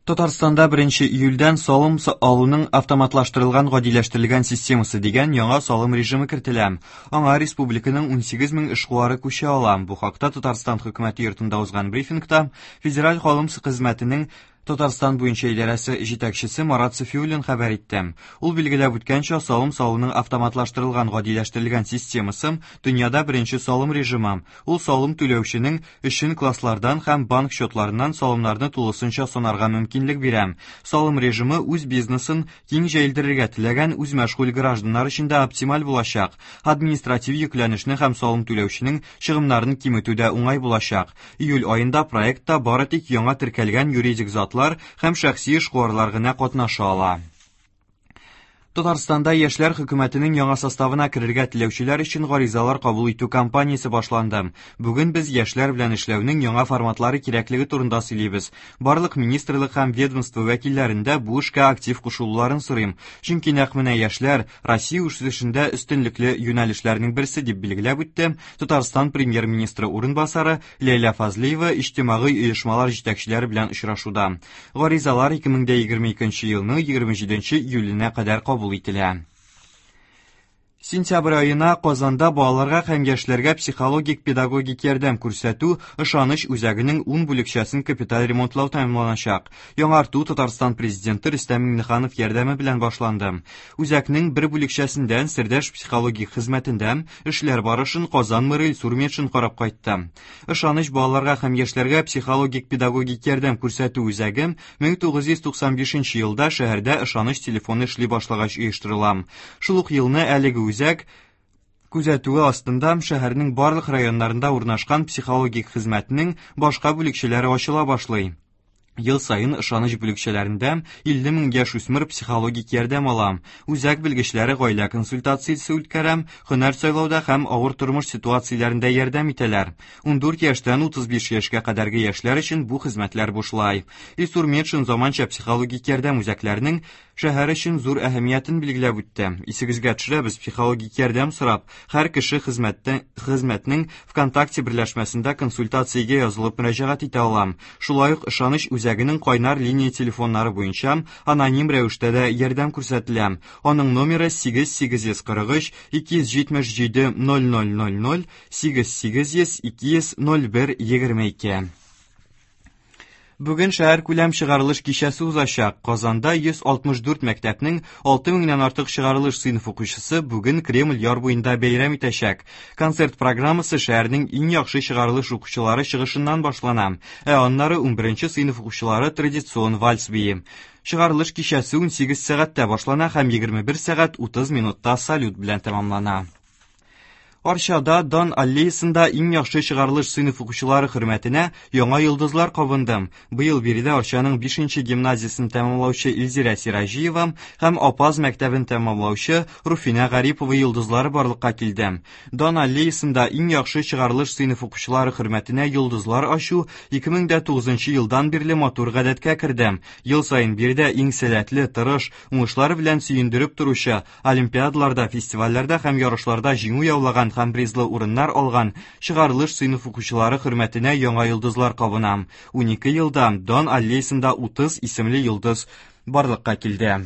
Татарстанда 1 июльдән салым алуның автоматлаштырылган гадиләштерелгән системасы дигән яңа салым режимы кертелә. Аңа республиканың 18 мең эшкуары күчә ала. Бу хакта Татарстан хөкүмәте йортында узган брифингта Федераль салым хезмәтенең Татарстан буенча идарәсе җитәкчесе Марат Сафиуллин хәбәр итте. Ул билгеләп үткәнчә, салым салуның автоматлаштырылган гадиләштерелгән системасы дөньяда беренче салым режимы. Ул салым түләүченең өчен класслардан һәм банк счетларыннан салымнарны тулысынча санарга мөмкинлек бирә. Салым режимы үз бизнесын киң җәелдерергә теләгән үзмәшгуль гражданнар өчен дә оптималь булачак. Административ йөкләнешне һәм салым түләүченең чыгымнарын киметү дә уңай булачак. Июль аенда проектта бары тик яңа теркәлгән юридик затлар һәм шәхси эшкуарлар гына катнаша ала. Татарстанда яшьләр хөкүмәтенең яңа составына керергә теләүчеләр өчен гаризалар кабул итү кампаниясе башланды. Бүген без яшьләр белән эшләүнең яңа форматлары кирәклеге турында сөйлибез. Барлык министрлык һәм ведомство вәкилләрен дә бу эшкә актив кушылуларын сорыйм. Чөнки нәкъ менә яшьләр Россия үсешендә өстенлекле юнәлешләрнең берсе, дип билгеләп үтте Татарстан премьер-министры урынбасары Ләйлә Фазлыева иҗтимагый оешмалар җитәкчеләре белән очрашуда. Гаризалар 2022 елның 27 июленә кадәр кабул ителә. Сентябрь аена Казанда балаларга һәм яшьләргә психологик-педагогик ярдәм күрсәтү Ышаныч үзәгенең 10 бүлекчәсен капиталь ремонтлау тәмамланачак. Яңарту Татарстан Президенты Рөстәм Миңнеханов ярдәме белән башланды. Үзәкнең бер бүлекчәсендә Сердәш психологик хезмәтендә эшләр барышын Казан мэры Илсур Метшин карап кайтты. Ышаныч балаларга һәм яшьләргә психологик-педагогик ярдәм күрсәтү үзәге 1995 елда шәһәрдә ышаныч телефоны эшли башлагач оештырыла. Шул ук елны әлеге үзәк күзәтүе астында шәһәрнең барлык районнарында урнашкан психологик хезмәтнең башка бүлекчәләре ачыла башлый. Ел саен ышаныч бүлекчәләрендә 50 мең яшүсмер психологик ярдәм ала. Үзәк белгечләре гаилә консультациясе үткәрә, һөнәр сайлауда һәм авыр тормыш ситуацияләрендә ярдәм итәләр. 14 яшьтән 35 яшькә кадәрге яшьләр өчен бу хезмәтләр бушлай. Илсур Метшин заманча психологик ярдәм үзәкләренең шәһәр өчен зур әһәмиятен билгеләп үтте. Исегезгә төшерәбез, психологик ярдәм сорап, һәр кеше хезмәттә, хезмәтнең ВКонтакте берләшмәсендә консультациягә язылып мөрәҗәгать итә ала. Шулай ук ышаныч үзәгенең кайнар линия телефоннары буенча аноним рәвештә дә ярдәм күрсәтелә. Аның номеры 8843 277 0000 8800 200 01 22. Бүген шәһәркүләм чыгарылыш кичәсе узачак. Казанда 164 мәктәпнең 6 меңнән артык чыгарылыш сыйныф укучысы бүген Кремль яр буенда бәйрәм итәчәк. Концерт программасы шәһәрнең иң яхшы чыгарылыш укучылары чыгышыннан башлана, ә аннары 11 сыйныф укучылары традицион вальс бии. Чыгарылыш кичәсе 18 сәгатьтә башлана һәм 21 сәгать 30 минутта салют белән тәмамлана. Арчада Дан аллеясында иң яхшы чыгарылыш сыйныф укучылары хөрмәтенә яңа йолдызлар кабынды. Быел биредә Арчаның 5 гимназиясен тәмамлаучы Илзирә Сираҗиева һәм Апаз мәктәбен тәмамлаучы Руфинә Гарипова йолдызлары барлыкка килде. Дан аллеясында иң яхшы чыгарылыш сыйныф укучылары хөрмәтенә йолдызлар ачу 2009 елдан бирле матур гадәткә керде. Ел саен биредә иң сәләтле, тырыш, уңышлары белән сөендереп торучы Олимпиадаларда, фестивальләрдә һәм ярышларда җиңү яулаган һәм призлы урыннар алган чыгарылыш сыйныф укучылары хөрмәтенә яңа йолдызлар кабына. 12 елда Дан аллеясында 30 исемле йолдыз барлыкка килде.